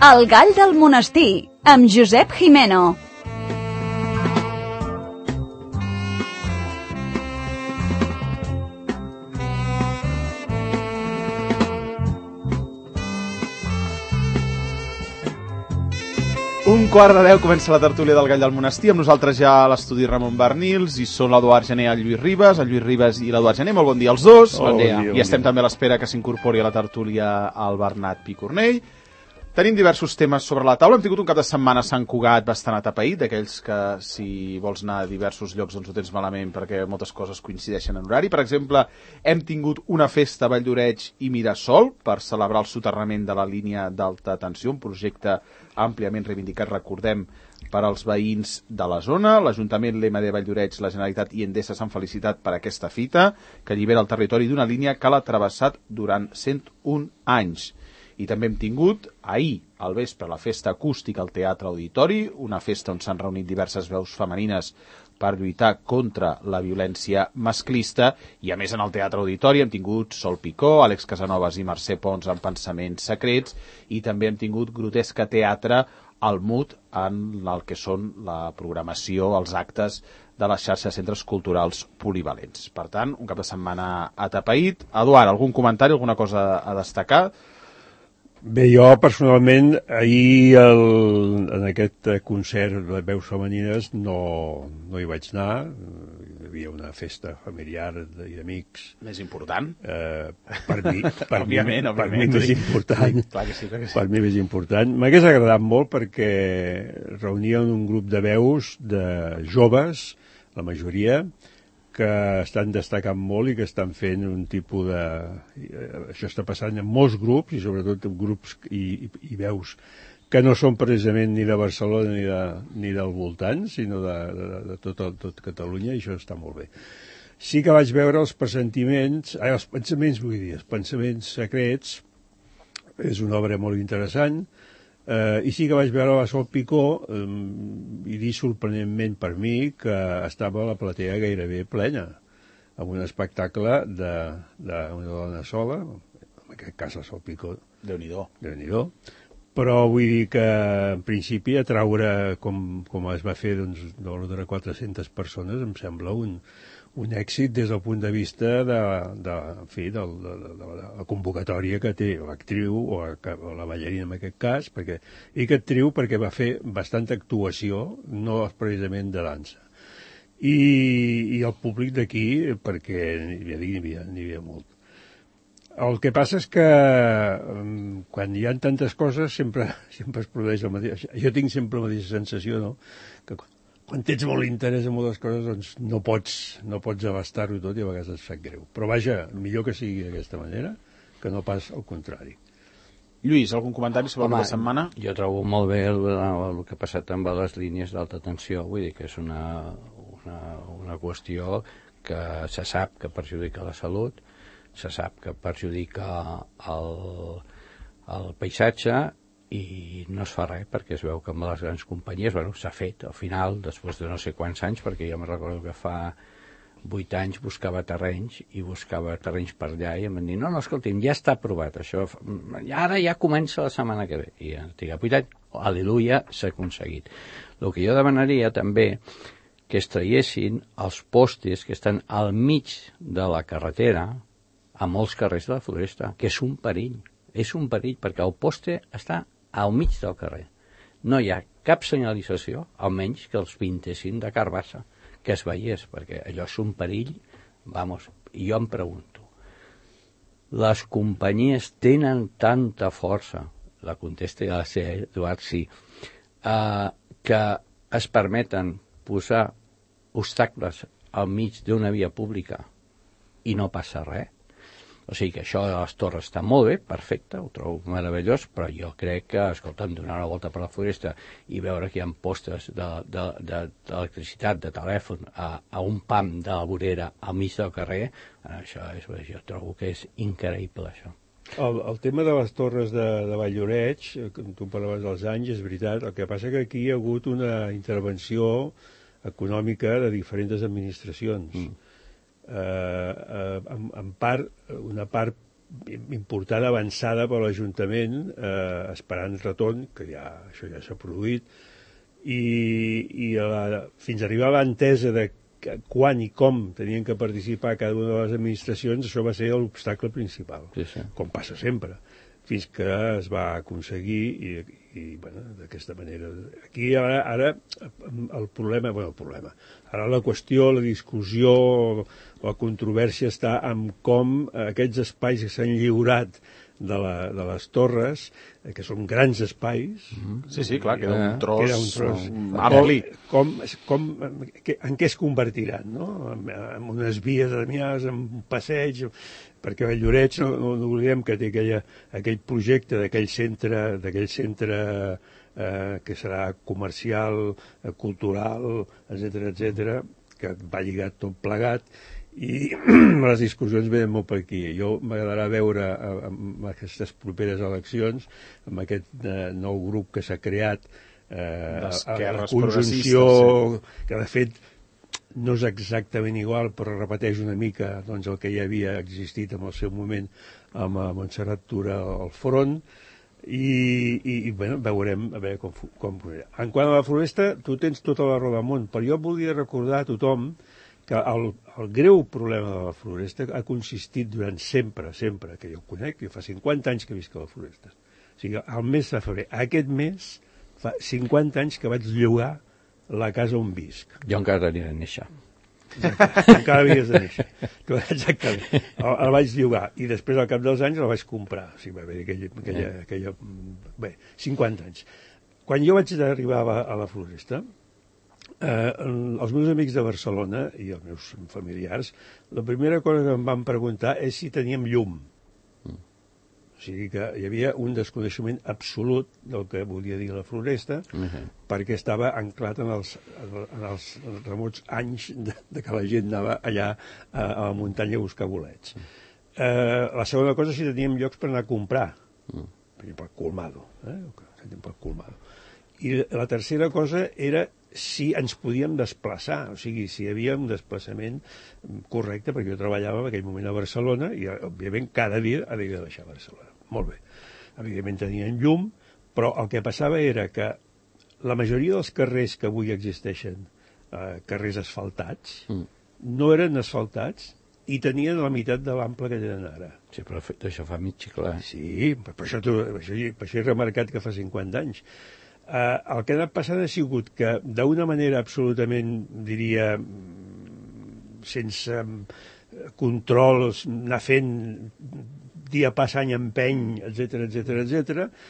El gall del monestir, amb Josep Jimeno. Un quart de 10 comença la tertúlia del Gall del Monestir. Amb nosaltres ja a l'estudi Ramon Bernils, i són l'Eduard Gené i el Lluís Ribas. El Lluís Ribas i l'Eduard Gené, molt bon dia als dos. Bon dia. I estem també a l'espera que s'incorpori a la tertúlia el Bernat Picornell. Tenim diversos temes sobre la taula. Hem tingut un cap de setmana a Sant Cugat bastant atapeït, d'aquells que si vols anar a diversos llocs doncs ho tens malament perquè moltes coses coincideixen en horari. Per exemple, hem tingut una festa a Valldoreix i Mirasol per celebrar el soterrament de la línia d'alta tensió, un projecte àmpliament reivindicat, recordem, per als veïns de la zona. L'Ajuntament, l'EMD Valldoreix, la Generalitat i Endesa s'han felicitat per aquesta fita, que allibera el territori d'una línia que l'ha travessat durant 101 anys. I també hem tingut ahir al vespre la festa acústica al Teatre Auditori, una festa on s'han reunit diverses veus femenines per lluitar contra la violència masclista, i a més en el Teatre Auditori hem tingut Sol Picó, Àlex Casanovas i Mercè Pons en Pensaments Secrets, i també hem tingut Grotesca Teatre al MUT en el que són la programació, els actes de la xarxa de centres culturals polivalents. Per tant, un cap de setmana atapeït. Eduard, algun comentari, alguna cosa a destacar? Bé, jo personalment ahir en aquest concert de veus femenines no hi vaig anar. Hi havia una festa familiar i d'amics. Més important? Per mi òbviament. més important. Sí, clar que sí. Per mi més important. M'hagués agradat molt perquè reunien un grup de veus de joves, la majoria, que estan destacant molt i que estan fent un tipus de... Això està passant en molts grups, i sobretot en grups i veus que no són precisament ni de Barcelona ni del voltant, sinó de tot Catalunya, i això està molt bé. Sí que vaig veure els pensaments secrets, és una obra molt interessant, i sí que vaig veure la Sol Picó, i dir sorprenentment per mi que estava la platea gairebé plena, amb un espectacle d'una dona sola, en aquest cas la Sol Picó. Déu-n'hi-do. Però vull dir que en principi atraure com es va fer de l'ordre de 400 persones em sembla un èxit des del punt de vista de la convocatòria que té l'actriu o la ballarina en aquest cas, i que actriu perquè va fer bastanta actuació, no precisament de dansa. I el públic d'aquí, perquè n'hi havia molt. El que passa és que quan hi ha tantes coses sempre es produeix el mateix. Jo tinc sempre la mateixa sensació, no?, que quan tens molt interès en moltes coses, doncs no pots abastar-ho tot i a vegades et sap greu. Però vaja, millor que sigui d'aquesta manera que no pas al contrari. Lluís, algun comentari sobre la setmana? Jo trobo molt bé el que ha passat amb les línies d'alta tensió. Vull dir que és una qüestió que se sap que perjudica la salut, se sap que perjudica el paisatge, i no es fa res perquè es veu que amb les grans companyies s'ha fet al final, després de no sé quants anys, perquè jo me recordo que fa 8 anys buscava terrenys per allà i em van dir, no, escolti'm, ja està aprovat això, ara ja comença la setmana que ve, i ja tinc 8 anys, al·leluia, s'ha aconseguit. El que jo demanaria també que es traiessin els postes que estan al mig de la carretera a molts carrers de la Floresta, que és un perill perquè el poste està al mig del carrer. No hi ha cap senyalització, almenys que els pintessin de carbassa, que es veiés, perquè allò és un perill, i jo em pregunto, les companyies tenen tanta força, la contesta ja la sé, Eduard, sí, que es permeten posar obstacles al mig d'una via pública i no passa res? O sigui que això de les torres està molt bé, perfecte, ho trobo meravellós, però jo crec que, escolta'm, donar una volta per la Floresta i veure que hi ha postes d'electricitat, de telèfon, a un pam de la vorera al mig del carrer, jo trobo que és increïble, això. El tema de les torres de Valldoreix, tu parlaves dels anys, és veritat, el que passa que aquí hi ha hagut una intervenció econòmica de diferents administracions. En part, una part important avançada per l'Ajuntament, esperant retorn, que això ja s'ha produït, i fins a arribar a l'entesa de quan i com tenien que participar cada una de les administracions, això va ser l'obstacle principal, com passa sempre, fins que es va aconseguir i bueno, d'aquesta manera. Aquí ara el problema, ara la qüestió, la discussió, la controvèrsia està en com aquests espais que s'han lliurat de les torres, que són grans espais. Sí, clar, queda un tros ampli. En què es convertiran, no? En unes vies admiades, en un passeig, perquè Valldoreix, no oblidem que té aquell projecte d'aquell centre que serà comercial, cultural, etc., que va lligat tot plegat, i les discussions venen molt per aquí. Jo m'agradarà veure en aquestes properes eleccions, amb aquest nou grup que s'ha creat, la conjunció, que de fet no és exactament igual, però repeteix una mica doncs, el que ja havia existit en el seu moment amb Montserrat Tura al front, i bueno, veurem a veure com. En quant a la Floresta, tu tens tota la raó del món, però jo volia recordar a tothom que el greu problema de la Floresta ha consistit durant sempre, que jo ho conec, jo fa 50 anys que visc a la Floresta. O sigui, al mes de febrer, aquest mes, fa 50 anys que vaig llogar la casa on visc. Jo encara havia de néixer. Encara havies de néixer. Exactament. El vaig llogar i després, al cap dels anys, el vaig comprar. O sigui, va haver aquella... Bé, 50 anys. Quan jo vaig arribar a la Floresta, els meus amics de Barcelona i els meus familiars, la primera cosa que em van preguntar és si teníem llum. O sigui que hi havia un desconeixement absolut del que volia dir la Floresta, perquè estava anclat en els remots anys de que la gent anava allà a la muntanya a buscar bolets. La segona cosa, si teníem llocs per anar a comprar, per exemple, Colmado. I la tercera cosa era si ens podíem desplaçar, o sigui, si hi havia un desplaçament correcte, perquè jo treballava en aquell moment a Barcelona i, òbviament, cada dia havia de baixar a Barcelona. Molt bé. Evidentment tenien llum, però el que passava era que la majoria dels carrers que avui existeixen, carrers asfaltats, no eren asfaltats i tenien la meitat de l'ample que tenen ara. Sí, però això fa mig xiclar. Sí, per això he remarcat que fa 50 anys. El que ha anat passant ha sigut que d'una manera absolutament, diria, sense controls, anar fent dia pas any empeny, etc,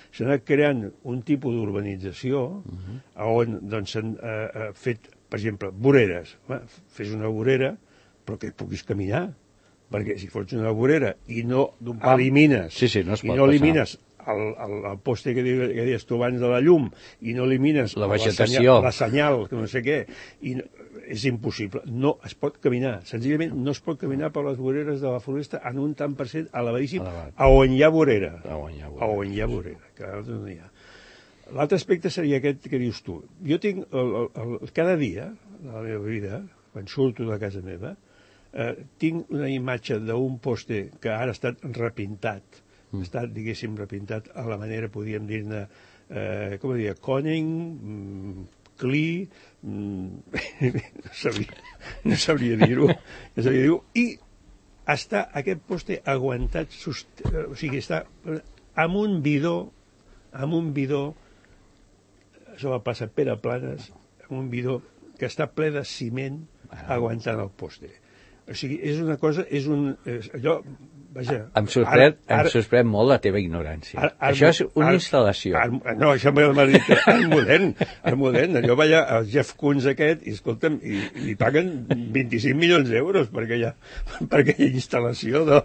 s'ha anat creant un tipus d'urbanització on doncs, s'han fet, per exemple, voreres. Fes una vorera, però que puguis caminar, perquè si fots una vorera i no elimines, el poste que deies tu abans de la llum i no elimines la vegetació, la senyal, que no sé què, i és impossible. No es pot caminar. Senzillament no es pot caminar per les voreres de la Floresta en un tant per cent elevadíssim a on hi ha vorera. Que no hi ha. L'altre aspecte seria aquest que dius tu. Jo tinc, cada dia de la meva vida, quan surto de casa meva, tinc una imatge d'un poste que ara ha estat repintat, ha estat, diguéssim, repintat a la manera, podríem dir-ne, com diria, Koning, Klee, no sabria dir-ho, i està aquest poste aguantat, o sigui, està amb un bidó, això va passar a Pere Planes, amb un bidó que està ple de ciment aguantant el poste. O sigui, és una cosa, allò, vaja... Em sorprèn molt la teva ignorància. Això és una instal·lació. No, això m'ha dit art modern. Allò, vaja, el Jeff Koons aquest, i escolta'm, i paguen 25 milions d'euros per aquella instal·lació del...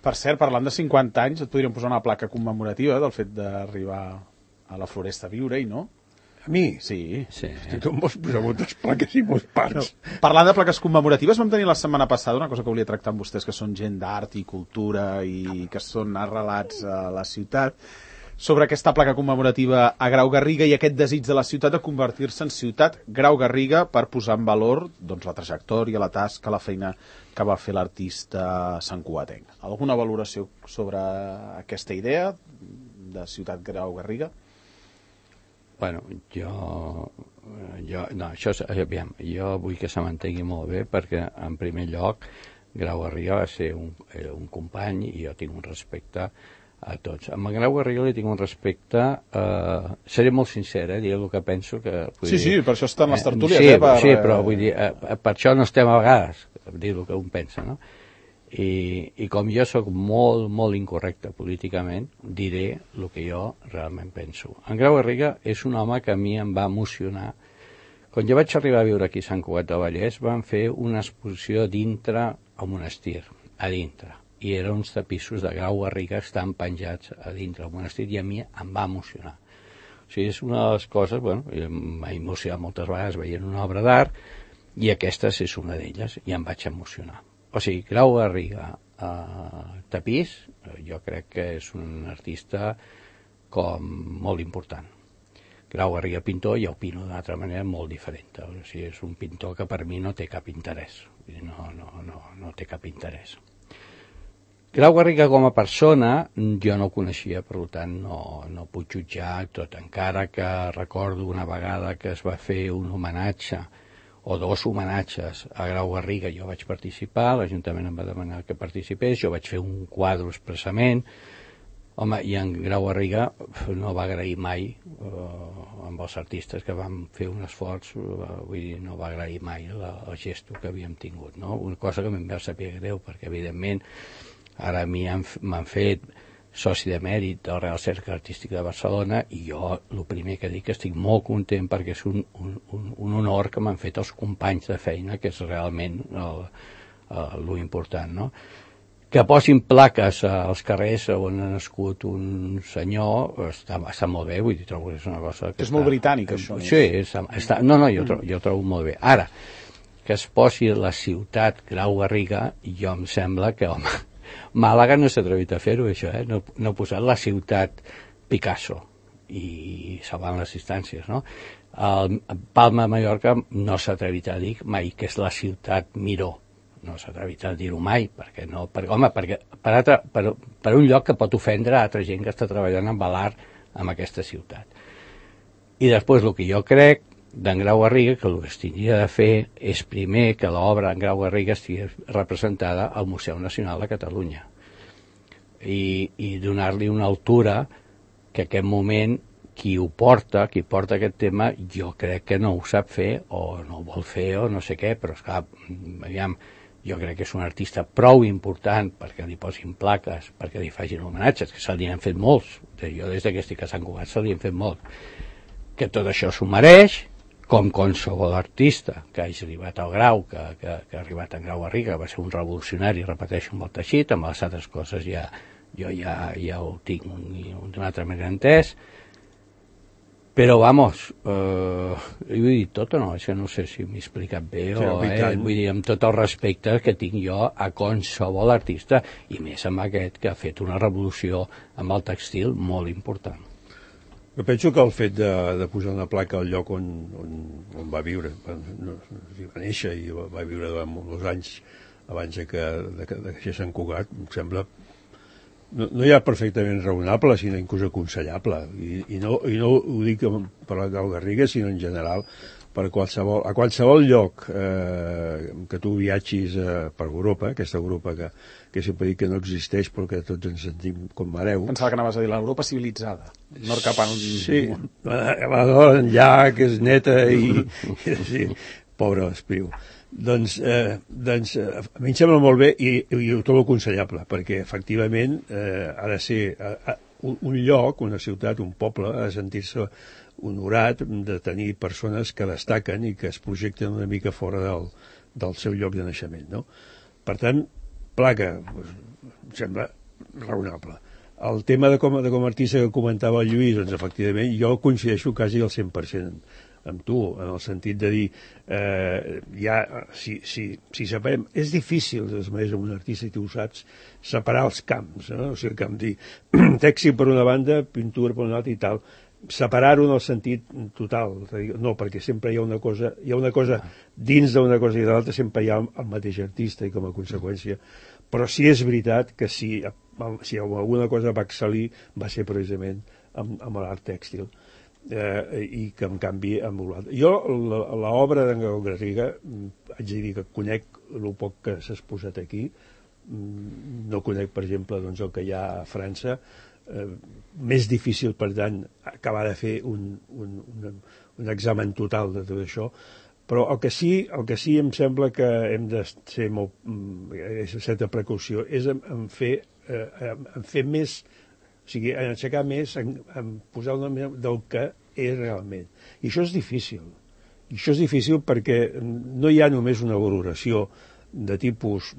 Per cert, parlant de 50 anys, et podríem posar una placa commemorativa del fet d'arribar a la Floresta a viure-hi, no? A mi? Sí. Tu em vols posar moltes plaques i molts parts. No. Parlant de plaques commemoratives, vam tenir la setmana passada una cosa que volia tractar amb vostès, que són gent d'art i cultura i que són arrelats a la ciutat, sobre aquesta placa commemorativa a Grau Garriga i aquest desig de la ciutat de convertir-se en ciutat Grau Garriga per posar en valor doncs, la trajectòria, la tasca, la feina que va fer l'artista santcugatenc. Alguna valoració sobre aquesta idea de ciutat Grau Garriga? Bueno, jo vull que se m'entengui molt bé perquè, en primer lloc, Grau Garriga va ser un company i jo tinc un respecte a tots. Amb en Grau Garriga li tinc un respecte... seré molt sincer, diré el que penso. Sí, per això estan les tertúlies. Sí, però vull dir, per això no estem a vegades, dir el que un pensa, no? I com jo sóc molt, molt incorrecte políticament, diré el que jo realment penso. En Grau Garriga és un home que a mi em va emocionar. Quan jo vaig arribar a viure aquí a Sant Cugat del Vallès, van fer una exposició dintre al monestir, a dintre. I eren uns tapissos de Grau Garriga que estan penjats a dintre del monestir i a mi em va emocionar. O sigui, és una de les coses, m'ha emocionat moltes vegades veient una obra d'art i aquesta és una d'elles i em vaig emocionar. O sigui, Grau Garriga tapís, jo crec que és un artista com molt important. Grau Garriga pintor, jo opino d'una altra manera molt diferent. O sigui, és un pintor que per mi no té cap interès. No té cap interès. Grau Garriga com a persona jo no ho coneixia, per tant no puc jutjar tot, encara que recordo una vegada que es va fer un homenatge o dos homenatges a Grau Garriga, jo vaig participar, l'Ajuntament em va demanar que participés, jo vaig fer un quadre expressament, home, i en Grau Garriga no va agrair mai amb els artistes que vam fer un esforç, vull dir, no va agrair mai el gesto que havíem tingut, no? Una cosa que em va saber greu, perquè evidentment ara a mi m'han fet soci de mèrit del Real Cercle Artístic de Barcelona i jo el primer que dic que estic molt content perquè és un honor que m'han fet els companys de feina, que és realment lo important, no? Que posin plaques als carrers on ha nascut un senyor està molt bé, vull dir, trobo que és una cosa que és molt britànic, això. Sí, jo trobo molt bé. Ara, que es posi la ciutat Grau Garriga, jo em sembla que, home, Màlaga no s'ha atrevit a fer-ho, això, no ha posat la ciutat Picasso i salvant les distàncies, no? Palma de Mallorca no s'ha atrevit a dir mai que és la ciutat Miró, no s'ha atrevit a dir-ho mai, perquè per un lloc que pot ofendre a altra gent que està treballant amb l'art en aquesta ciutat. I després el que jo crec d'en Grau Garriga, que el que es tindria de fer és primer que l'obra en Grau Garriga estigui representada al Museu Nacional de Catalunya i donar-li una altura que en aquest moment qui porta aquest tema jo crec que no ho sap fer o no ho vol fer o no sé què, però esclar, aviam, jo crec que és un artista prou important perquè li posin plaques, perquè li facin homenatges, que se li han fet molts, jo des que estic a Sant Cugat se li han fet molts, que tot això s'ho mereix, com qualsevol artista que hagi arribat al grau, que ha arribat a Grau Garriga, va ser un revolucionari, repeteixo, amb el teixit, amb les altres coses jo ja ho tinc d'una altra manera entès, però vamos, ho he dit tot o no? Això no sé si m'he explicat bé vull dir, amb tot el respecte que tinc jo a qualsevol artista, i més amb aquest que ha fet una revolució amb el textil molt important. Jo penso que el fet de posar una placa al lloc on va viure, va néixer i va viure durant molts anys abans que deixés Sant Cugat, em sembla no ja perfectament raonable, sinó inclús aconsellable. I no ho dic per la Grau Garriga, sinó en general a qualsevol lloc que tu viatgis per Europa, aquesta Europa que sempre dic que no existeix però que tots ens sentim com hereu. Pensava que anaves a dir l'Europa civilitzada, no cap a... Sí, la dona enllà, que és neta i sí, pobre Espriu. Doncs a mi em sembla molt bé i ho trobo aconsellable, perquè efectivament ha de ser un lloc, una ciutat, un poble, ha de sentir-se honorat de tenir persones que destaquen i que es projecten una mica fora del seu lloc de naixement, no? Per tant, placa, em sembla raonable. El tema de com a artista que comentava el Lluís, doncs efectivament jo coincideixo quasi al 100%. amb tu, en el sentit de dir, si separem, és difícil, de manera, amb un artista, i tu ho saps, separar els camps, no? O sigui, com dir, tèxtil per una banda, pintura per una altra i tal, separar-ho en el sentit total, no, perquè sempre hi ha una cosa dins d'una cosa i de l'altra, sempre hi ha el mateix artista, i com a conseqüència, però sí és veritat que si alguna cosa va excel·lir va ser precisament amb l'art tèxtil, i que en canvi amb l'altre. Jo l'obra d'en Garriga haig de dir que conec el poc que s'ha exposat aquí, no conec per exemple doncs, el que hi ha a França, més difícil per tant acabar de fer un examen total de tot això, però el que sí em sembla que hem de ser molt certa precaució és en fer més, o sigui, en aixecar més, en posar una més del que és realment. I això és difícil. I això és difícil perquè no hi ha només una valoració de tipus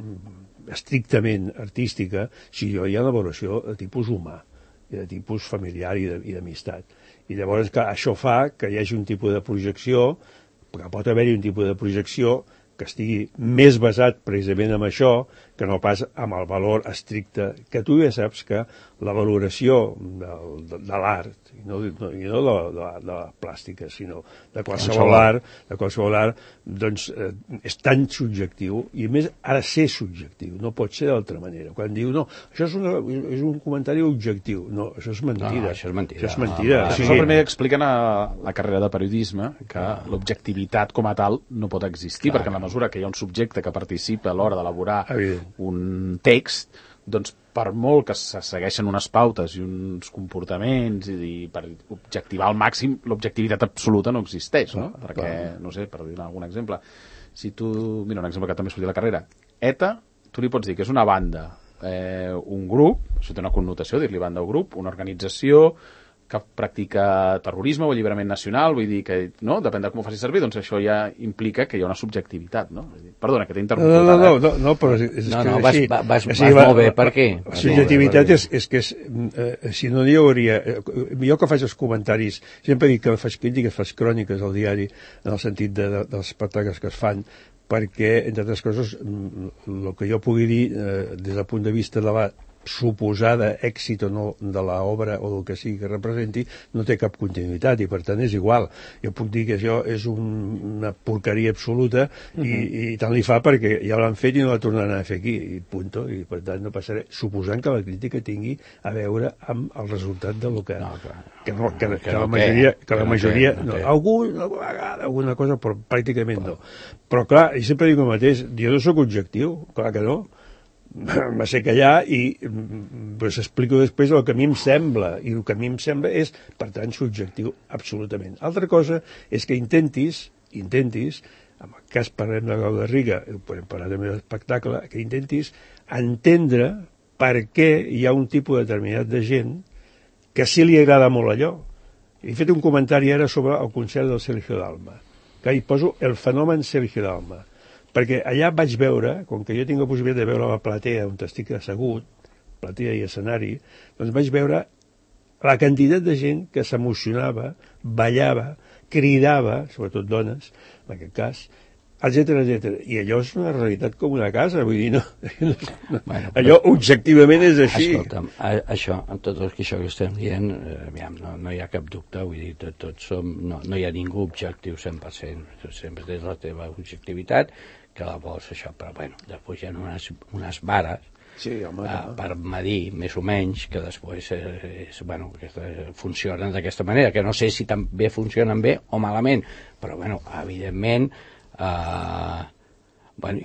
estrictament artística, sinó hi ha una valoració de tipus humà, i de tipus familiar i d'amistat. I llavors això fa que hi hagi un tipus de projecció, que pot haver-hi un tipus de projecció que estigui més basat precisament en això que no pas amb el valor estricte, que tu ja saps que la valoració de l'art, i no de la plàstica, sinó de qualsevol art, doncs és tan subjectiu, i a més ha de ser subjectiu, no pot ser d'altra manera. Quan diu, no, això és un comentari objectiu, no, això és mentida. No, això és mentida. Això és mentida. Això primer expliquen a la carrera de periodisme que l'objectivitat com a tal no pot existir, perquè en la mesura que hi ha un subjecte que participa a l'hora d'elaborar un text, doncs per molt que se segueixen unes pautes i uns comportaments i per objectivar al màxim, l'objectivitat absoluta no existeix, no? Perquè, no sé, per dir algun exemple, si tu, mira, un exemple que també sortia a la carrera, ETA, tu li pots dir que és una banda, un grup, això té una connotació, dir-li banda o grup, una organització que practica terrorisme o alliberament nacional, vull dir que, no?, depèn de com ho faci servir, doncs això ja implica que hi ha una subjectivitat, no? Perdona, que t'he interromput. No, però és que... Vas molt bé, per què? La subjectivitat és que si no hi hauria... Jo que faig els comentaris, sempre dic que faig crítiques, faig cròniques al diari, en el sentit dels espectacles que es fan, perquè, entre altres coses, el que jo pugui dir des del punt de vista de la suposada èxit o no de l'obra o del que sigui que representi no té cap continuïtat i per tant és igual. Jo puc dir que això és una porqueria absoluta i tant li fa perquè ja l'han fet i no la tornaran a fer aquí i punto, i per tant no passaré, suposant que la crítica tingui a veure amb el resultat de lo que la majoria alguna vegada alguna cosa però pràcticament no, però clar, i sempre dic el mateix, jo no sóc objectiu, clar que no, va ser callar i pues, explico després el que a mi em sembla, i el que a mi em sembla és, per tant, subjectiu absolutament. Altra cosa és que intentis, en el cas parlem de Garriga, podem parlar també de l'espectacle, que intentis entendre per què hi ha un tipus determinat de gent que sí li agrada molt allò. He fet un comentari ara sobre el concert del Sergio Dalma, que hi poso el fenomen Sergio Dalma, perquè allà vaig veure, com que jo tinc la possibilitat de veure la platea on estic assegut, platea i escenari, doncs vaig veure la quantitat de gent que s'emocionava, ballava, cridava, sobretot dones, en aquest cas, etc. I allò és una realitat com una casa, vull dir, bueno, allò objectivament és així. Escolta'm, això, en tot això que estem dient, no hi ha cap dubte, vull dir, tots som, no hi ha ningú objectiu 100%, sempre tens la teva objectivitat, que la vols això, però bueno, després hi ha unes vares per medir més o menys, que després funcionen d'aquesta manera, que no sé si també funcionen bé o malament, però bueno, evidentment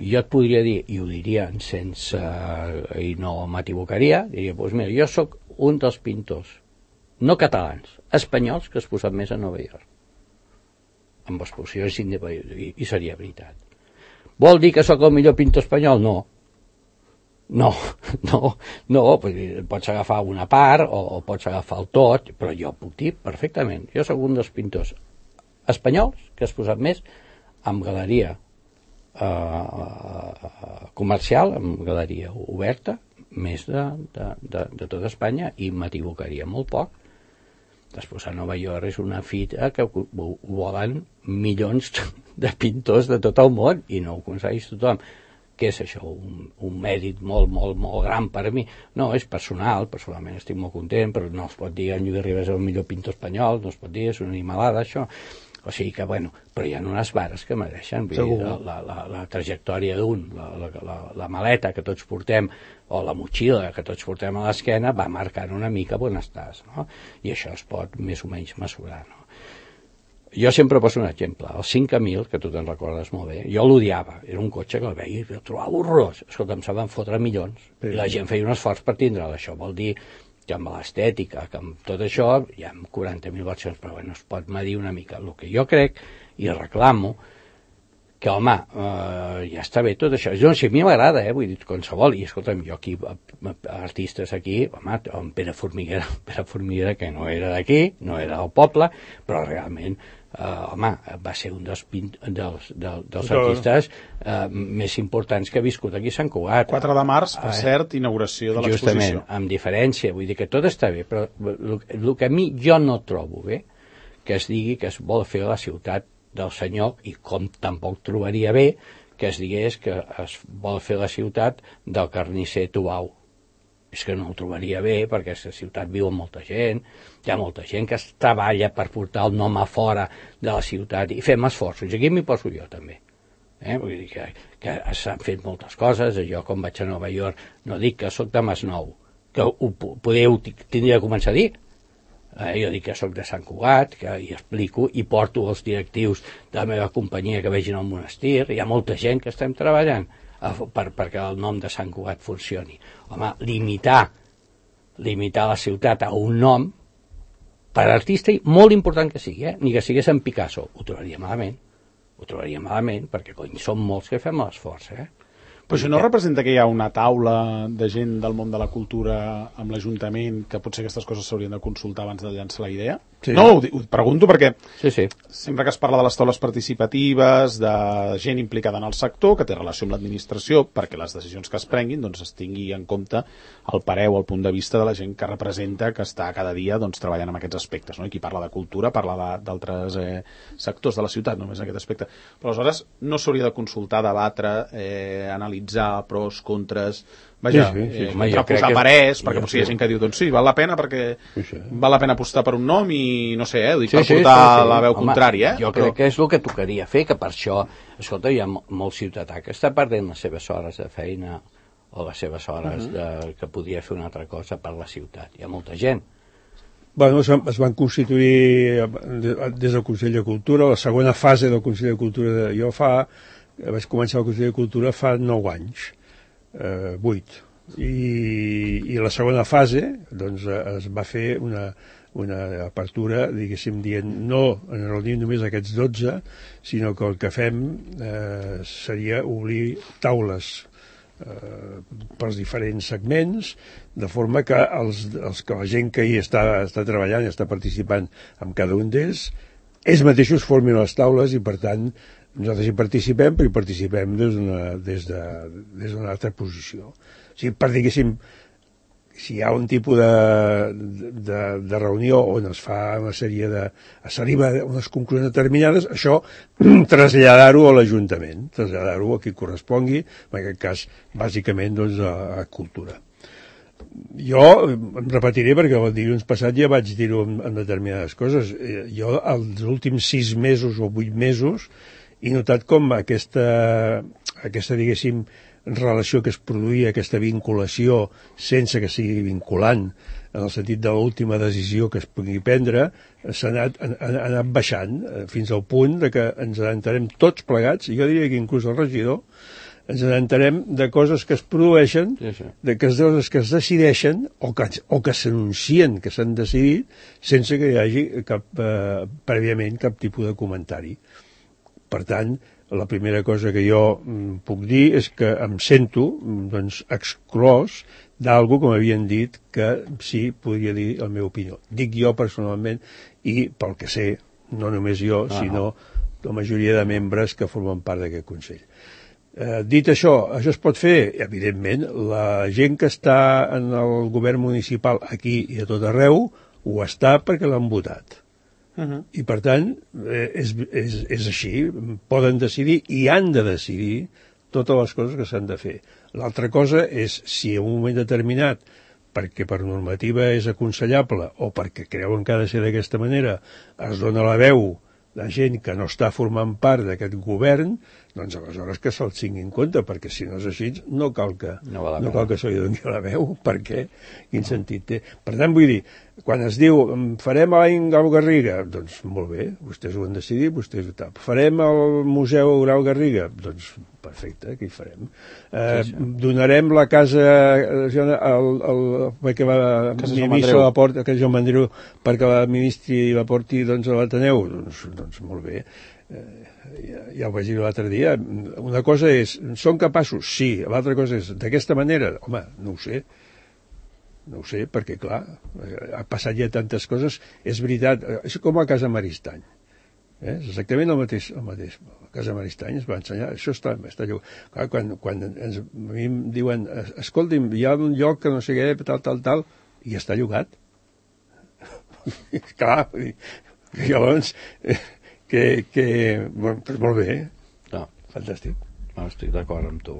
jo et podria dir, i ho diria sense, i no m'equivocaria, diria, doncs mira, jo sóc un dels pintors no catalans, espanyols que es posen més a Nova York amb exposició i seria veritat. Vol dir que sóc el millor pintor espanyol? No, pots agafar una part o pots agafar el tot, però jo puc dir perfectament, jo sóc un dels pintors espanyols que has posat més amb galeria comercial, amb galeria oberta, més de tota Espanya, i m'equivocaria molt poc Després a Nova York és una fita que ho volen milions de pintors de tot el món i no ho aconsegueix tothom. Què és això? Un mèrit molt, molt, molt gran per a mi? No, és personal, personalment estic molt content, però no es pot dir en Lluís Ribas és el millor pintor espanyol, no es pot dir, és una animalada, això. O sigui que, bueno, però hi ha unes vares que mereixen. Vull dir, la trajectòria d'un, la maleta que tots portem, o la motxilla que tots portem a l'esquena, va marcant una mica on estàs, no? I això es pot més o menys mesurar, no? Jo sempre poso un exemple, el 5000, que tu te'n recordes molt bé, jo l'odiava, era un cotxe que el veia i el trobava horrorós. Escolta'm, se van fotre milions, i la gent feia un esforç per tindre'l. Això vol dir que amb l'estètica, que amb tot això, hi ha 40.000 versions, però bueno, es pot medir una mica. El que jo crec, i reclamo, que, home, ja està bé tot això. No, si a mi m'agrada, vull dir, qualsevol, i escolta'm, jo aquí, artistes aquí, home, en Pere Formiguera, que no era d'aquí, no era del poble, però realment, home, va ser un dels artistes més importants que ha viscut aquí a Sant Cugat. 4 de març, per cert, inauguració de l'exposició. Justament, amb diferència, vull dir que tot està bé, però el que a mi jo no trobo bé, que es digui que es vol fer a la ciutat del senyor, i com tampoc trobaria bé que es digués que es vol fer la ciutat del carnisser Tubau. És que no ho trobaria bé, perquè aquesta ciutat viu amb molta gent, hi ha molta gent que es treballa per portar el nom a fora de la ciutat, i fem esforços, i aquí m'hi poso jo també. Vull dir que s'han fet moltes coses. Jo, quan vaig a Nova York, no dic que sóc de Masnou, que tindria de començar a dir. Jo dic que sóc de Sant Cugat, que hi explico i porto els directius de la meva companyia que vegin el monestir. Hi ha molta gent que estem treballant perquè el nom de Sant Cugat funcioni. Home, limitar la ciutat a un nom, per artista, molt important que sigui, ni que sigués en Picasso, ho trobaria malament, perquè cony, som molts que fem l'esforç, Però això no representa que hi ha una taula de gent del món de la cultura amb l'Ajuntament, que potser aquestes coses s'haurien de consultar abans de llançar la idea? Sí. No, ho pregunto perquè sempre que es parla de les taules participatives, de gent implicada en el sector, que té relació amb l'administració, perquè les decisions que es prenguin doncs, es tingui en compte el pareu, el punt de vista de la gent que representa, que està cada dia doncs, treballant en aquests aspectes. No? I qui parla de cultura parla d'altres sectors de la ciutat, només en aquest aspecte. Però aleshores no s'hauria de consultar, debatre, analitzar pros, contres... Vaja, posar parers, perquè potser hi ha gent que diu, doncs sí, val la pena perquè val la pena apostar per un nom i no sé, ho dic per portar la veu contrària. Jo crec que és el que tocaria fer, que per això, escolta, hi ha molt ciutadà que està perdent les seves hores de feina o les seves hores que podria fer una altra cosa per la ciutat. Hi ha molta gent. Bueno, es van constituir des del Consell de Cultura, la segona fase del Consell de Cultura, vaig començar el Consell de Cultura fa 9 anys. 8 i la segona fase doncs es va fer una apertura, diguéssim, dient no en reunir només aquests 12, sinó que el que fem seria obrir taules pels diferents segments, de forma que la gent que hi està treballant i està participant en cada un d'ells, ells mateixos formin les taules i per tant nosaltres hi participem, però hi participem des d'una altra posició. O sigui, per diguéssim, si hi ha un tipus de reunió on es fa una sèrie s'arriba a unes conclusions determinades, això traslladar-ho a l'Ajuntament, traslladar-ho a qui correspongui, en aquest cas, bàsicament, doncs, a Cultura. Jo em repetiré perquè el dilluns passat ja vaig dir-ho en determinades coses. Jo, els últims 6 mesos o 8 mesos, he notat com aquesta diguéssim, relació que es produïa, aquesta vinculació sense que sigui vinculant, en el sentit de l'última decisió que es pugui prendre, s'ha anat baixant fins al punt de que ens entenem tots plegats, i jo diria que inclús el regidor, ens entenem de coses que es produeixen, de coses que es decideixen o que s'anuncien que s'han decidit sense que hi hagi prèviament cap tipus de comentari. Per tant, la primera cosa que jo puc dir és que em sento exclòs d'algú, com havien dit, que sí podria dir la meva opinió. Dic jo personalment i pel que sé, no només jo, sinó la majoria de membres que formen part d'aquest Consell. Dit això es pot fer? Evidentment, la gent que està en el govern municipal aquí i a tot arreu ho està perquè l'han votat. I per tant, és així, poden decidir i han de decidir totes les coses que s'han de fer. L'altra cosa és si en un moment determinat, perquè per normativa és aconsellable o perquè creuen que ha de ser d'aquesta manera, es dona la veu de gent que no està formant part d'aquest govern, doncs aleshores que se'l tingui en compte, perquè si no és així no cal que se li doni la veu, perquè quin sentit té. Per tant, vull dir, quan es diu farem a l'any Grau Garriga, doncs molt bé, vostès ho han decidit, vostès ho tap. Farem al Museu Grau Garriga, doncs perfecte, què hi farem? Donarem la casa perquè l'administri la porta, que Joan Mandriu, perquè l'administri la porti doncs, a l'Ateneu, doncs molt bé. Ja ho vaig dir l'altre dia, una cosa és, són capaços? Sí, l'altra cosa és, d'aquesta manera? Home, no ho sé, perquè clar, ha passat ja tantes coses, és veritat, és com a Casa Maristany, és exactament el mateix. A Casa Maristany es va ensenyar, això està lloc. Clar, quan a mi em diuen, escolti'm, hi ha un lloc que no sé què, tal, i està llogat. Clar, llavors... doncs molt bé, no. Fantàstic. No, estic d'acord amb tu,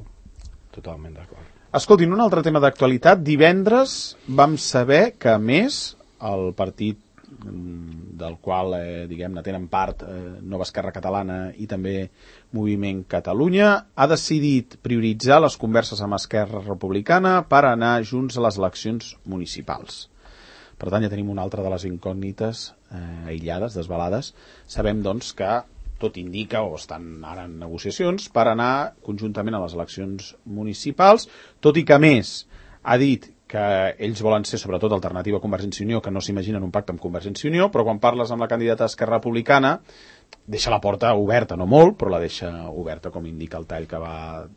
totalment d'acord. Escoltin, un altre tema d'actualitat. Divendres vam saber que, a més, el partit del qual, diguem-ne, tenen part Nova Esquerra Catalana i també Moviment Catalunya, ha decidit prioritzar les converses amb Esquerra Republicana per anar junts a les eleccions municipals. Per tant, ja tenim una altra de les incògnites aïllades, desvelades. Sabem, doncs, que tot indica, o estan ara en negociacions, per anar conjuntament a les eleccions municipals, tot i que, a més, ha dit que ells volen ser, sobretot, alternativa a Convergència i Unió, que no s'imaginen un pacte amb Convergència i Unió, però quan parles amb la candidata d'Esquerra Republicana, deixa la porta oberta, no molt, però la deixa oberta, com indica el tall que va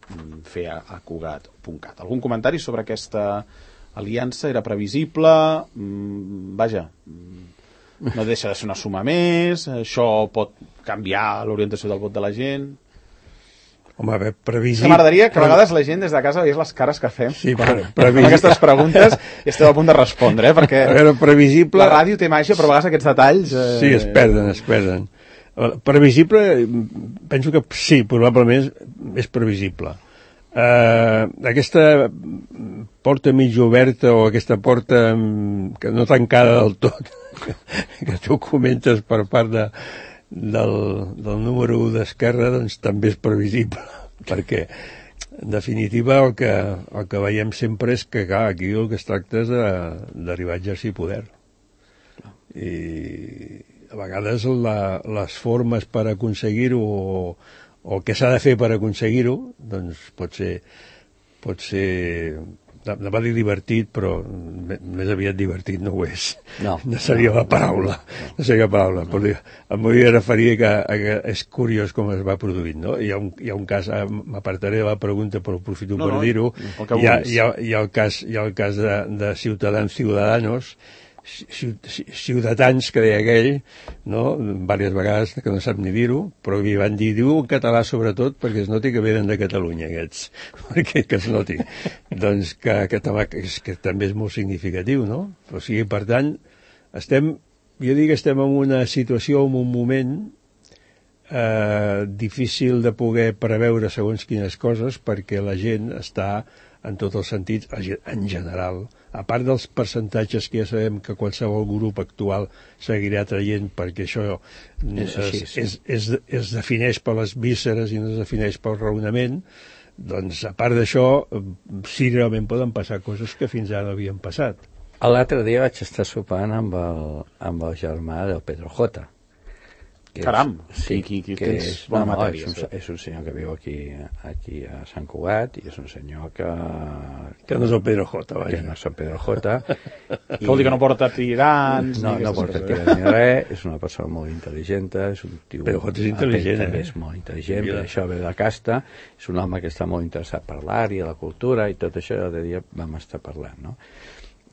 fer a Cugat.cat. Algun comentari sobre aquesta aliança? Era previsible? Vaja, no deixa de ser una suma més? Això pot canviar l'orientació del vot de la gent? Home, a veure, previsible... M'agradaria que a vegades la gent des de casa veiés les cares que fem amb aquestes preguntes i esteu a punt de respondre, perquè a veure, previsible... la ràdio té màgia, però a vegades aquests detalls... Sí, es perden. Previsible, penso que sí, probablement és previsible. Aquesta porta mig oberta o aquesta porta que no tancada del tot que tu comentes per part del número 1 d'Esquerra, doncs també és previsible, perquè en definitiva el que veiem sempre és que clar, aquí el que es tracta és d'arribar a exercir poder, i a vegades les formes per aconseguir-ho o què s'ha de fer per aconseguir-ho, doncs pot ser no va dir divertit, però més aviat divertit no ho és. No seria la paraula. Però em volia referir que és curiós com es va produint, no? Hi ha un cas, m'apartaré de la pregunta, però aprofito per dir-ho. Hi ha el cas de Ciutadanos, Ciutadans, que deia aquell, no? Diverses vegades que no sap ni dir-ho, però li van dir, diu en català sobretot perquè es noti que venen de Catalunya aquests, perquè que es noti doncs que també és molt significatiu, no? O sigui, per tant, jo dic que estem en una situació, en un moment difícil de poder preveure segons quines coses, perquè la gent està en tots els sentits, en general, a part dels percentatges que ja sabem que qualsevol grup actual seguirà traient, perquè això es defineix per les vísceres i no es defineix pel raonament, doncs a part d'això, sí, realment poden passar coses que fins ara no havien passat. L'altre dia vaig estar sopant amb el germà del Pedro J. Caram, sí, que tens bona matèria. És un senyor que viu aquí a Sant Cugat, i és un senyor que no és el Pedro J, vaja. Que no és el Pedro J. Vol dir que no porta tirants... No porta tirants ni res, és una persona molt intel·ligent, és un tio... Pedro J és intel·ligent, també és molt intel·ligent, per això ve de casta, és un home que està molt interessat per l'art i la cultura, i tot això l'altre dia vam estar parlant, no?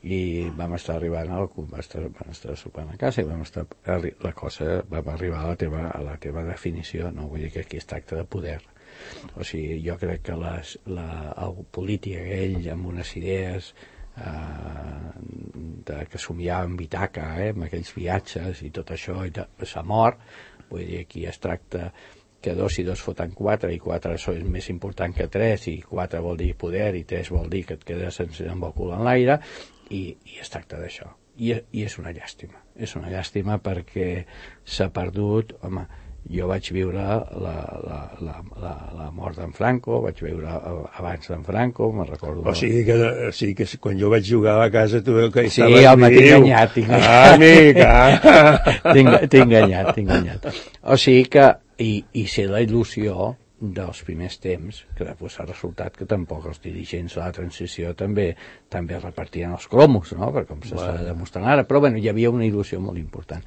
I vam estar arribant vam estar sopant a casa i vam arribar a la teva definició, no? Vull dir que aquí es tracta de poder. O sigui, jo crec que el polític aquell amb unes idees que somiava en Ítaca, amb aquells viatges i tot això, i s'ha mort. Vull dir, aquí es tracta que 2 i 2 foten 4, i 4 és més important que 3, i 4 vol dir poder, i 3 vol dir que et quedes amb el cul en l'aire, i es tracta d'això. I és una llàstima perquè s'ha perdut. Home, jo vaig viure la mort d'en Franco, vaig viure abans d'en Franco, me'n recordo. O sigui que quan jo vaig jugar a la casa tu que sí, home, t'he enganyat. T'he enganyat. O sigui que i ser la il·lusió dels primers temps, que després ha resultat que tampoc els dirigents de la transició també repartien els cromos, no? Per com s'està demostrant ara, però bueno, hi havia una il·lusió molt important.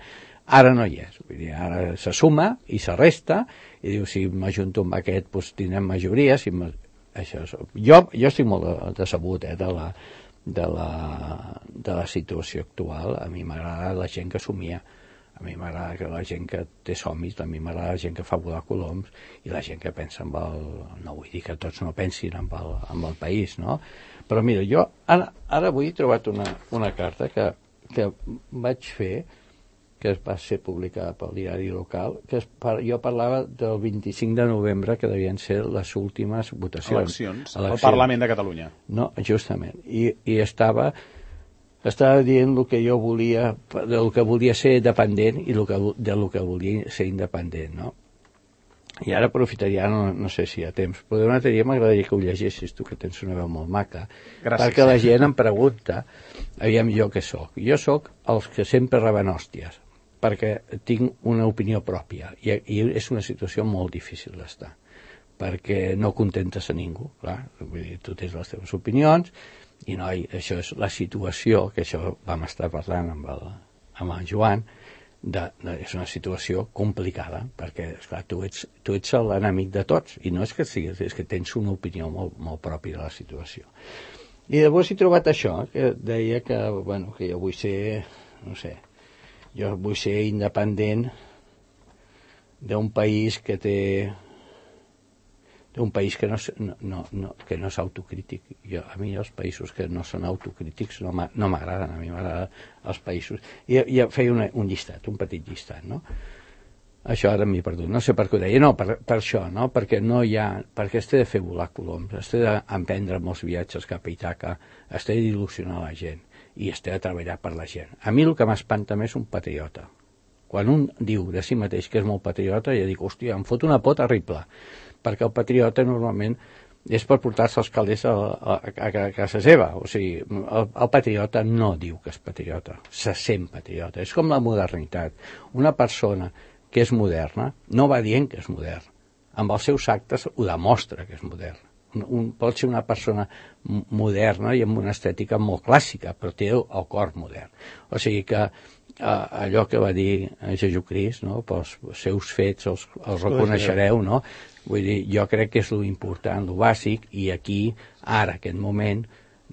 Ara no hi és, vull dir, ara se suma i se resta, i diu, si m'ajunto amb aquest, doncs tindrem majoria. Jo estic molt decebut de la situació actual. A mi m'agrada la gent que somia, a mi m'agrada que la gent que té somnis, a mi m'agrada la gent que fa volar coloms i la gent que pensa en el... No vull dir que tots no pensin en el país, no? Però mira, jo ara avui he trobat una carta que vaig fer, que va ser publicada pel diari local, que jo parlava del 25 de novembre, que devien ser les últimes votacions. Eleccions al Parlament de Catalunya. No, justament. I estava dient el que jo volia, del que volia ser dependent i del que volia ser independent, no? I ara aprofitaria, no sé si hi ha temps, però d'una teoria m'agradaria que ho llegessis tu, que tens una veu molt maca. Gràcies. Perquè la gent em pregunta, aviam, jo què soc? Jo soc els que sempre reben hòsties, perquè tinc una opinió pròpia, i és una situació molt difícil d'estar, perquè no contentes a ningú, clar. Vull dir, tu tens les teves opinions, i no, això és la situació, que això vam estar parlant amb el Joan, és una situació complicada, perquè esclar, tu ets l'enemic de tots, i no és que siguis, és que tens una opinió molt, molt pròpia de la situació. I llavors he trobat això, que deia que jo vull ser, no sé, jo vull ser independent d'un país que té... d'un país que no és autocrític. A mi els països que no són autocrítics no m'agraden, a mi m'agraden els països. I feia un llistat, un petit llistat, no? Això ara m'he perdut, no sé per què ho deia, no, per això, no? Perquè es té de fer volar coloms, es té d'emprendre molts viatges cap a Ítaca, es té d'il·lusionar la gent i es té de treballar per la gent. A mi el que m'espanta més és un patriota. Quan un diu de si mateix que és molt patriota, ja dic, hòstia, em fot una por terrible, perquè el patriota normalment és per portar-se els calders a casa seva. O sigui, el patriota no diu que és patriota, se sent patriota. És com la modernitat. Una persona que és moderna no va dient que és modern. Amb els seus actes ho demostra que és modern. Pot ser una persona moderna i amb una estètica molt clàssica, però té el cor modern. O sigui que allò que va dir Jesucrist, no? Pels seus fets els reconeixereu, no? Vull dir, jo crec que és lo important, lo bàsic, i aquí, ara, aquest moment,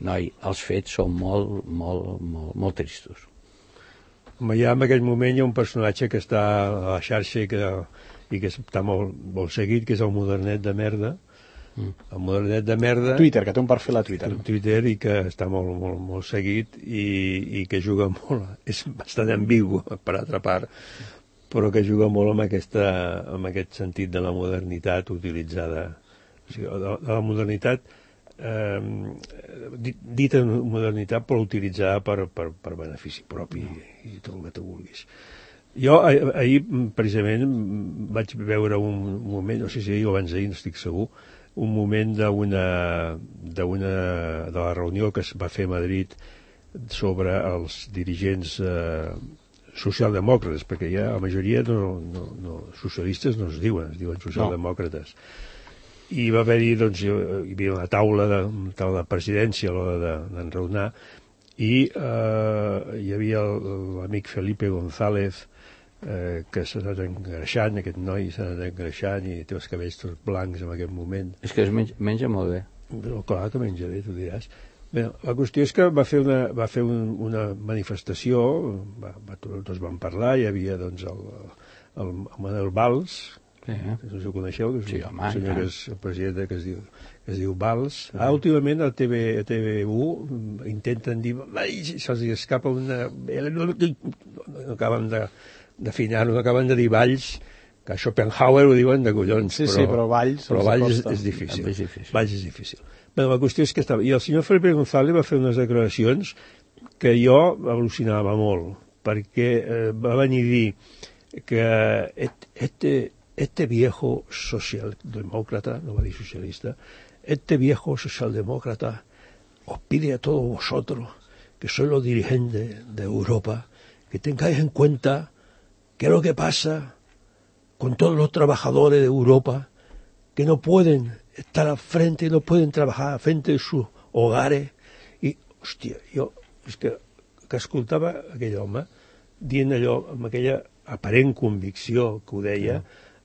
noi, els fets són molt, molt, molt, molt tristos. Ja en aquell moment hi ha un personatge que està a la xarxa i que està molt, molt seguit, que és el modernet de merda. El modernet de merda... Twitter, que té un perfil a Twitter. I que està molt, molt, molt seguit i que juga molt... És bastant ambigu, per altra part, però que juga molt amb aquest sentit de la modernitat utilitzada. O sigui, de la modernitat dita modernitat però utilitzada per benefici propi i tot el que tu vulguis. Jo ahir precisament vaig veure un moment, no sé si ahir o abans d'ahir, no estic segur, un moment de la reunió que es va fer a Madrid sobre els dirigents socialdemòcrates, perquè ja la majoria socialistes no es diuen socialdemòcrates. I va haver-hi, doncs, hi havia una taula de presidència a l'hora d'enraonar, i hi havia l'amic Felipe González, que s'ha anat engreixant, aquest noi s'ha anat engreixant i té els cabells tots blancs en aquest moment. És que es menja molt bé. Però clar que menja bé, tu diràs. Bé, la qüestió és que va fer una manifestació, tots van parlar, hi havia doncs el Manuel Valls, No sé si ho coneixeu, que és Sí, home, un senyor ja. que és el president que es diu Valls. Últimament a TV1 intenten dir, se'ls escapa una... No acaben d'afinar, no acaben de dir Valls, que a Schopenhauer ho diuen de collons. Sí, però Valls és difícil. És difícil. Valls és difícil. Però la qüestió és que estava... I el senyor Felipe González va fer unes declaracions que jo al·lucinava molt, perquè va venir a dir que este viejo socialdemócrata, no va dir socialista, este viejo socialdemócrata os pide a todos vosotros, que sois los dirigentes de Europa, que tengáis en cuenta qué es lo que pasa con todos los trabajadores de Europa que no pueden estar al frente, no pueden trabajar al frente de sus hogares. I, hòstia, jo és que escoltava aquell home dient allò amb aquella aparent convicció que ho deia,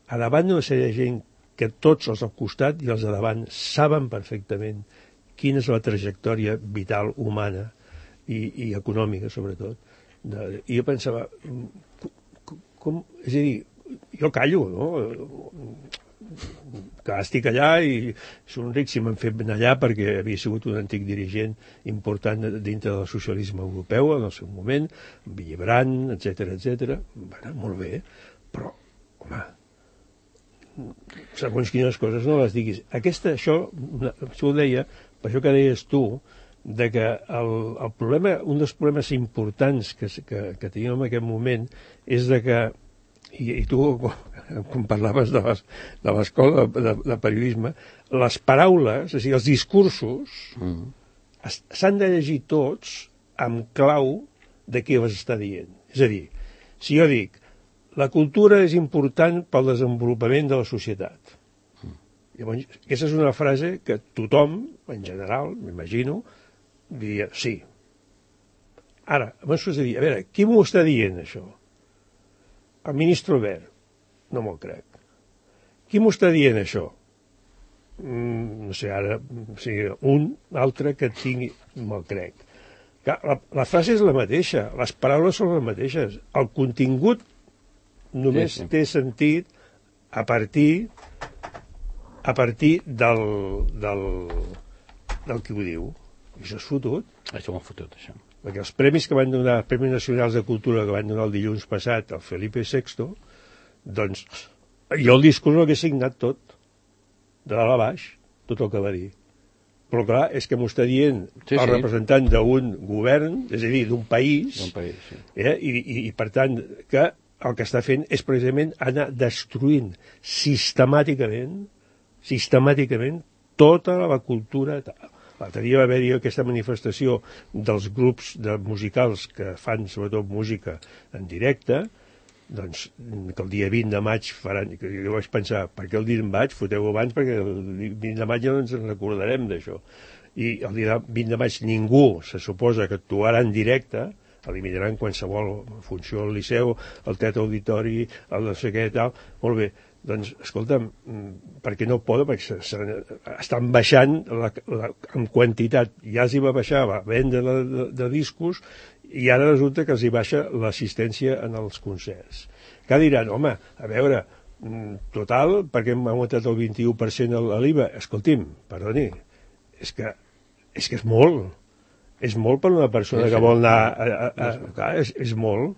a davant d'una sèrie de gent que tots els al costat i els de davant saben perfectament quina és la trajectòria vital humana i econòmica, sobretot. I jo pensava, és a dir, jo callo, no? Que estic allà i són ric si m'han fet anar allà perquè havia sigut un antic dirigent important dintre del socialisme europeu en el seu moment, amb Villebran, etc. Bueno, molt bé, però, home, segons quines coses no les diguis. Això ho deia, per això que deies tu, de que el problema, un dels problemes importants que teníem en aquest moment és de que, i tu quan parlaves de l'escola de periodisme, les paraules, és a dir, els discursos s'han de llegir tots amb clau de què vas estar dient. És a dir, si jo dic la cultura és important pel desenvolupament de la societat, llavors aquesta és una frase que tothom, en general, m'imagino, diria sí. Ara, abans has de dir, a veure, qui m'ho està dient això? El ministre Wert, no me'l crec. Qui m'ho està dient això? No sé, ara, o sigui, un altre que tingui, me'l crec. La frase és la mateixa, les paraules són les mateixes. El contingut només té sentit a partir del que ho diu. I això és fotut. Això m'ho ha fotut, això. Perquè els premis que van donar, els Premis Nacionals de Cultura que van donar el dilluns passat al Felipe VI, doncs jo el discurs l'he signat tot, de dalt a baix, tot el que va dir. Però clar, és que m'ho està dient el representant d'un govern, és a dir, d'un país, i per tant que el que està fent és precisament anar destruint sistemàticament tota la cultura. L'altre dia va haver-hi aquesta manifestació dels grups musicals que fan sobretot música en directe, doncs que el dia 20 de maig faran, que jo vaig pensar, per què el dia de maig? Foteu abans, perquè el 20 de maig ja no ens en recordarem d'això. I el dia 20 de maig ningú se suposa que actuarà en directe, eliminaran qualsevol funció al Liceu, el Teatre Auditori, el no sé què i tal, molt bé. Doncs, escolta'm, perquè no poden, perquè estan baixant en quantitat. Ja els hi va baixar la venda de discos i ara resulta que els hi baixa l'assistència en els concerts. Que diran, home, a veure, total, perquè hem augmentat el 21% a l'IVA? Escolti'm, perdoni, és que és molt. És molt per una persona que vol anar... És molt.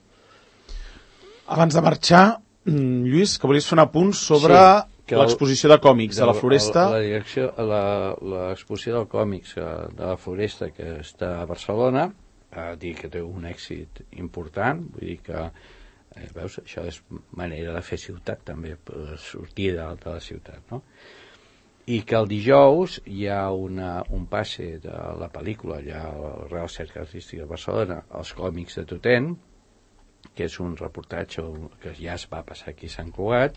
Abans de marxar, Lluís, que volies fer un apunt sobre l'exposició de còmics a la Floresta. L'exposició de còmics de la Floresta, que està a Barcelona, dir que té un èxit important, vull dir que, veus, això és manera de fer ciutat també, sortir de la ciutat, no? I que el dijous hi ha un passe de la pel·lícula, allà al Real Centre Artístic de Barcelona, els còmics de Totent, que és un reportatge que ja es va passar aquí a Sant Cugat,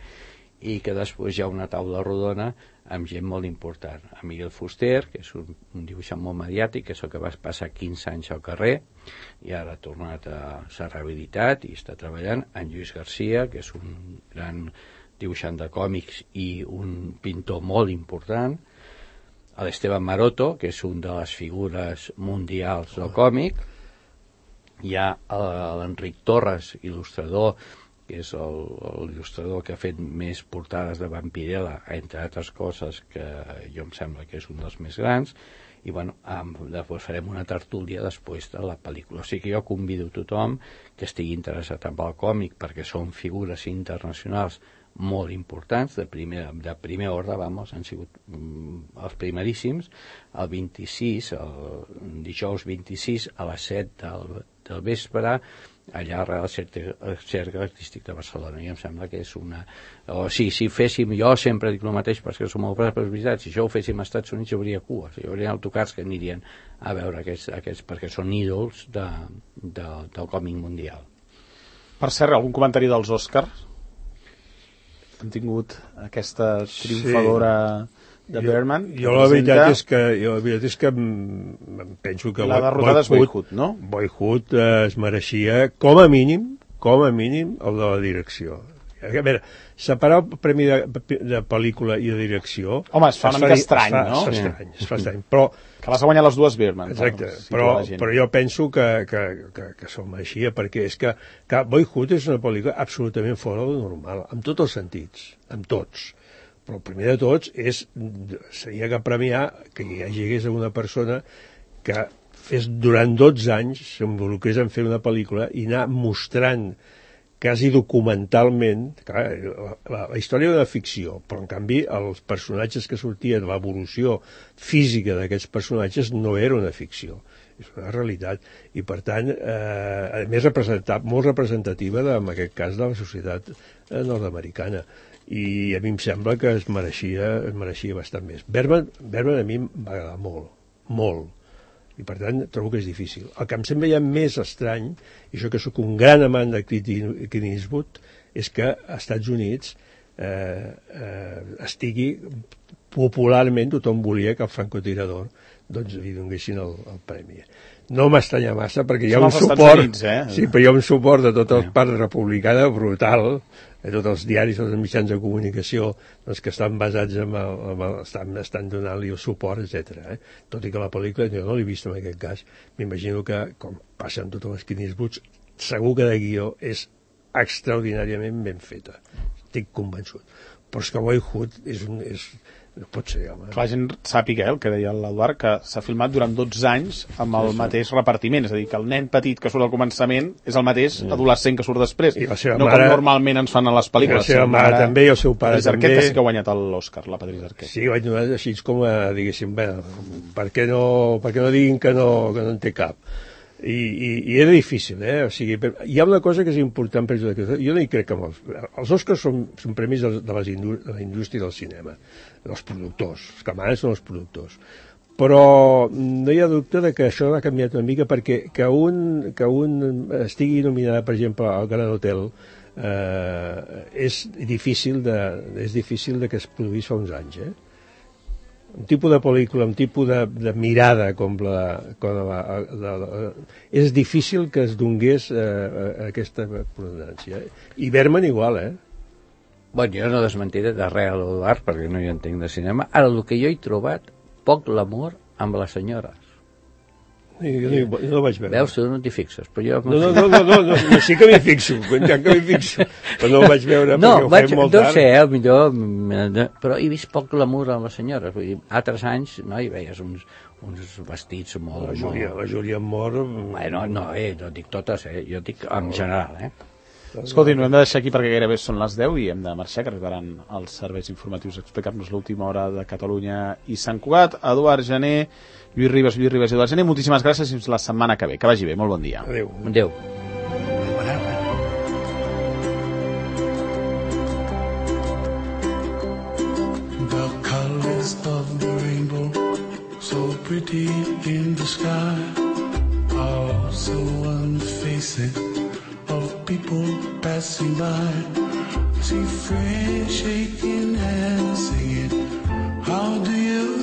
i que després hi ha una taula rodona amb gent molt important. En Miguel Fuster, que és un dibuixant molt mediàtic, que és el que va passar 15 anys al carrer, i ara ha tornat a ser rehabilitat i està treballant. En Lluís Garcia, que és un gran dibuixant de còmics i un pintor molt important. L'Esteban Maroto, que és un de les figures mundials del còmic. Hi ha l'Enric Torres, il·lustrador, que és l'il·lustrador que ha fet més portades de Vampirella, entre altres coses, que jo em sembla que és un dels més grans, i bueno, després farem una tertúlia després de la pel·lícula. O sigui que jo convido tothom que estigui interessat en el còmic, perquè són figures internacionals molt importants, de primer ordre, han sigut els primeríssims. El 26, el dijous 26 a les 7 del vespre, allà al Cercle Artístic de Barcelona. I em sembla que és una... si féssim, jo sempre dic el mateix perquè som molt veritat, si això ho féssim als Estats Units hi hauria cues, hi hauria autocars que anirien a veure aquests perquè són ídols del còmic mundial. Per cert, algun comentari dels Oscars? Hem tingut aquesta triomfadora de Bergman. Jo la veritat és que penso que la derrotada és Boyhood, no? Boyhood es mereixia com a mínim el de la direcció. A veure, separar el premi de pel·lícula i de direcció... Home, es fa una mica estrany, no? Es fa estrany, però... Que les ha guanyat les dues Bergman. Exacte, però jo penso que se'l mereixia, perquè és que Boyhood és una pel·lícula absolutament fora del normal, en tots els sentits, en tots. Però el primer de tots seria que premiar que hi hagués una persona que fes durant 12 anys, s'involucrés en fer una pel·lícula i anar mostrant quasi documentalment, clar, la història de ficció, però en canvi els personatges que sortien, l'evolució física d'aquests personatges no era una ficció, és una realitat, i per tant, a més molt representativa, en aquest cas, de la societat nord-americana. I a mi em sembla que es mereixia bastant més. Bergman a mi em va agradar molt, i per tant trobo que és difícil. El que em sembla ja més estrany, i això que sóc un gran amant de Clint Eastwood, és que als Estats Units estigui popularment, tothom volia que el francotirador doncs li donguessin el premi. No m'estranya massa perquè hi ha un suport, sí, però hi ha un suport de tota la part republicana brutal, de tots els diaris, tots els mitjans de comunicació doncs, que estan basats estan donant-li el suport, etc. Tot i que la pel·lícula, jo no l'he vist en aquest cas, m'imagino que, com passa en totes les Clint Eastwood, segur que de guió és extraordinàriament ben feta. Estic convençut. Però és que Boyhood no pot ser, home. Que la gent sàpiga, el que deia l'Eduard, que s'ha filmat durant 12 anys amb el mateix repartiment, és a dir, que el nen petit que surt al començament és el mateix adolescent que surt després, no com normalment ens fan a les pel·lícules. I la seva mare també, i el seu pare també. Patrice Arquette, que sí que ha guanyat l'Oscar, la Patrice Arquette. Sí, ho vaig donar així com a, diguéssim, per què no diguin que no en té cap? I era difícil, o sigui, hi ha una cosa que és important per jo no hi crec que els Oscars són premis de la indústria del cinema, dels productors, els que manen són els productors, però no hi ha dubte de que això ha canviat una mica, perquè que un estigui nominada, per exemple, al Gran Hotel és difícil de que es produís fa uns anys, un tipus de pel·lícula, un tipus de mirada com és difícil que es donés aquesta pronunciació. I Bergman igual, Bueno, jo no desmentiré de res a l'Eduard, perquè no hi entenc de cinema. Ara, el que jo he trobat, poc l'amor amb les senyores. Jo no vaig veure. Veus, tu no t'hi fixes, però jo... No, sí que m'hi fixo, però no ho vaig veure perquè ho fem molt tard. No sé, millor, però he vist poc l'amor amb les senyores. Vull dir, altres anys, no, hi veies uns vestits molt... La Júlia Mor... Bueno, no dic totes, jo dic en general, Escolti, no hem de deixar aquí perquè gairebé són les 10 i hem de marxar, que arribaran els serveis informatius a explicar-nos l'última hora de Catalunya i Sant Cugat. Eduard Jané, Lluís Ribas i Eduard Jané, moltíssimes gràcies i fins la setmana que ve. Que vagi bé, molt bon dia. Adéu. The colors of the rainbow, so pretty in the sky, are also on the faces of people passing by. See friends shaking hands, singing, how do you